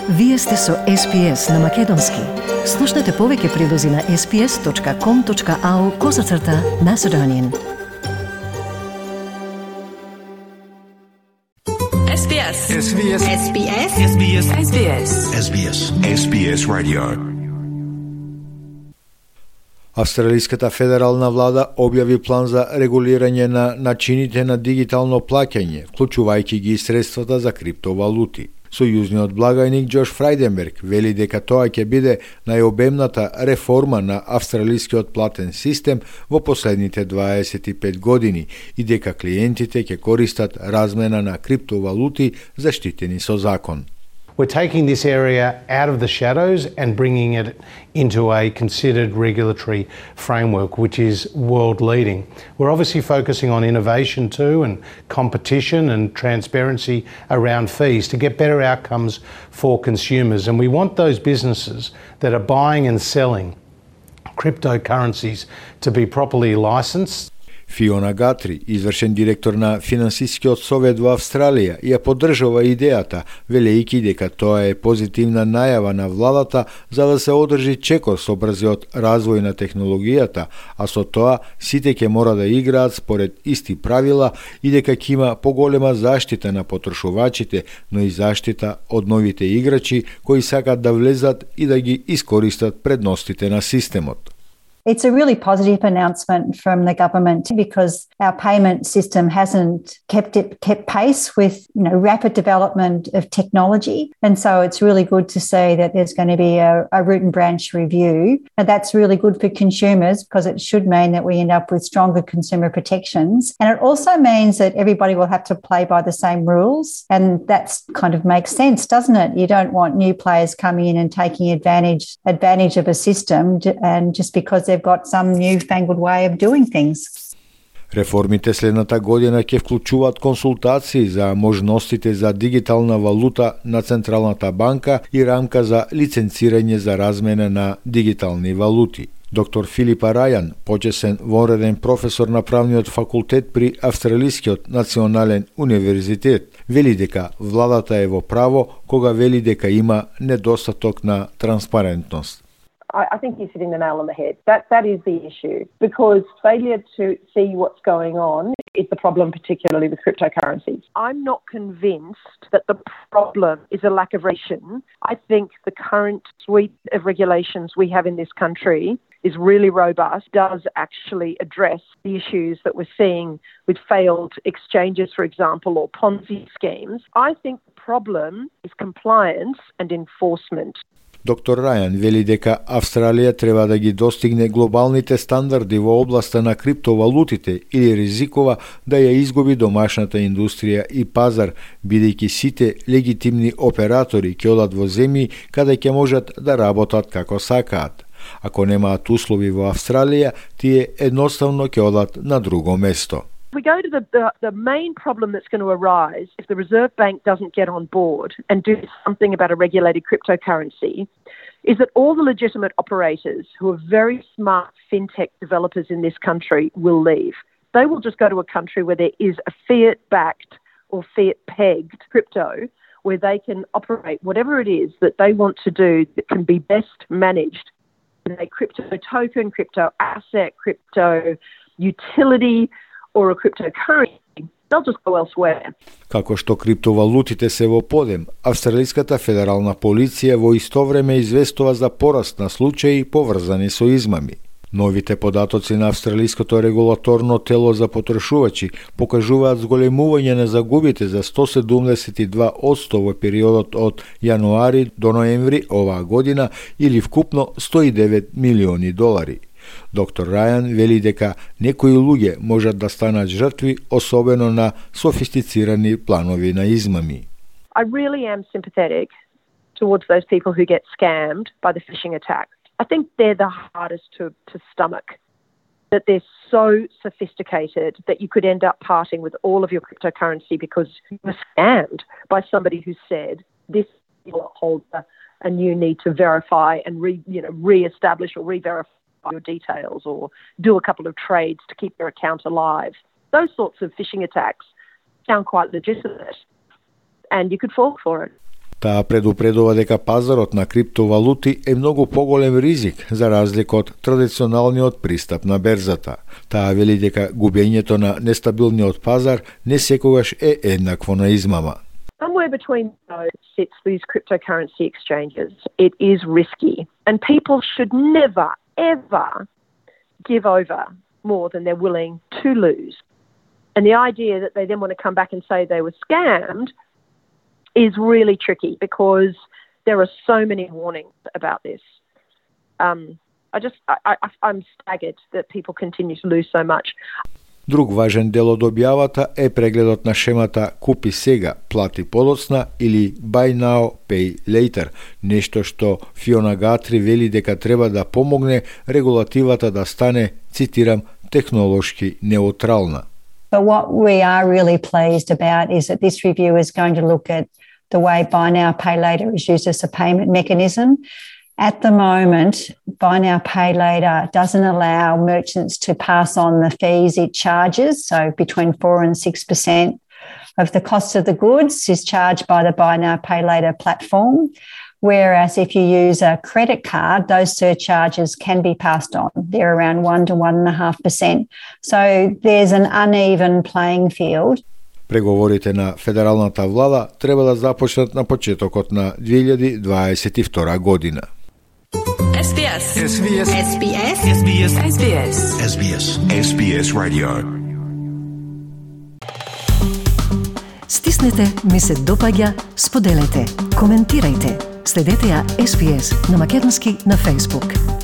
Вие сте со SPS на Македонски. Слушнете повеќе прилози на sps.com.au/Macedonian. SBS. SBS. SBS. SBS. SBS. SBS. SBS Radio. Австралиската федерална влада објави план за регулирање на начините на дигитално плаќање, вклучувајќи ги средствата за криптовалути. Сојузниот благајник Џош Фрајденберг вели дека тоа ќе биде најобемната реформа на австралискиот платен систем во последните 25 години и дека клиентите ќе користат размена на криптовалути заштитени со закон. We're taking this area out of the shadows and bringing it into a considered regulatory framework, which is world leading. We're obviously focusing on innovation too and competition and transparency around fees to get better outcomes for consumers. And we want those businesses that are buying and selling cryptocurrencies to be properly licensed. Фиона Гатри, извршен директор на Финансискиот совет во Австралија, ја поддржува идејата, велејќи дека тоа е позитивна најава на владата за да се одржи чекор со брзиот развој на технологијата, а со тоа сите ќе мора да играат според исти правила и дека ќе има поголема заштита на потрошувачите, но и заштита од новите играчи кои сакат да влезат и да ги искористат предностите на системот. It's a really positive announcement from the government because our payment system hasn't kept pace with rapid development of technology, and so it's really good to see that there's going to be a root and branch review, and that's really good for consumers because it should mean that we end up with stronger consumer protections, and it also means that everybody will have to play by the same rules, and that's kind of makes sense, doesn't it? You don't want new players coming in and taking advantage of a system, and just because they've got some newfangled way of doing things. Реформите следната година ќе вклучуваат консултации за можностите за дигитална валута на Централната банка и рамка за лиценцирање за размена на дигитални валути. Доктор Филипа Рајан, почесен вонреден професор на правниот факултет при Австралискиот национален универзитет, вели дека владата е во право кога вели дека има недостаток на транспарентност. I think you're hitting the nail on the head. That is the issue, because failure to see what's going on is the problem, particularly with cryptocurrencies. I'm not convinced that the problem is a lack of regulation. I think the current suite of regulations we have in this country is really robust, does actually address the issues that we're seeing with failed exchanges, for example, or Ponzi schemes. I think the problem is compliance and enforcement. Доктор Рајан вели дека Австралија треба да ги достигне глобалните стандарди во областа на криптовалутите или ризикува да ја изгуби домашната индустрија и пазар, бидејќи сите легитимни оператори ќе одат во земји каде ќе можат да работат како сакаат. Ако немаат услови во Австралија, тие едноставно ќе одат на друго место. We go to the main problem that's going to arise if the Reserve Bank doesn't get on board and do something about a regulated cryptocurrency is that all the legitimate operators who are very smart fintech developers in this country will leave. They will just go to a country where there is a fiat-backed or fiat-pegged crypto where they can operate whatever it is that they want to do that can be best managed in a crypto token, crypto asset, crypto utility, or a cryptocurrency, they'll just go elsewhere. Како што криптовалутите се во подем, Австралиската федерална полиција во исто време известува за пораст на случаи поврзани со измами. Новите податоци на Австралиското регулаторно тело за потрошувачи покажуваат зголемување на загубите за 172% во периодот од јануари до ноември оваа година или вкупно $109 милиони. Доктор Рајан вели дека некои луѓе можат да станат жртви, особено на софистицирани планови на измами. I really am sympathetic towards those people who get scammed by the phishing attack. I think they're the hardest to stomach, that they're so sophisticated that you could end up parting with all of your cryptocurrency because you were scammed by somebody who said this holder and you need to verify and re-establish or re-verify your details or do a couple of trades to keep your account alive. Those sorts of phishing attacks sound quite legitimate and you could fall for it. Таа предупредува дека пазарот на криптовалути е многу поголем ризик за разлика од традиционалниот пристап на берзата. Таа вели дека губењето на нестабилниот пазар не секогаш е еднакво на измама. Somewhere between those sits these cryptocurrency exchanges. It is risky, and people should never, ever give over more than they're willing to lose. And the idea that they then want to come back and say they were scammed is really tricky because there are so many warnings about this. I'm staggered that people continue to lose so much. Друг важен дел од објавата е прегледот на шемата Купи сега, плати подоцна или Buy now, pay later, нешто што Фиона Гатри вели дека треба да помогне регулативата да стане, цитирам, технолошки неутрална. But what we are really pleased about is that this review is going to look at the way buy now, pay later is used as a payment mechanism. At the moment, buy now, pay later doesn't allow merchants to pass on the fees it charges. So between 4 and 6% of the cost of the goods is charged by the buy now, pay later platform. Whereas if you use a credit card, those surcharges can be passed on. They're around 1 to 1.5%. So there's an uneven playing field. Преговорите на федералната влада треба да започнат на почетокот на 2022 година. SBS. SBS. SBS. SBS. SBS. SBS. SBS Radio. Стиснете, ми се допаѓа, споделете, коментирајте. Следете ја SBS на македонски на Facebook.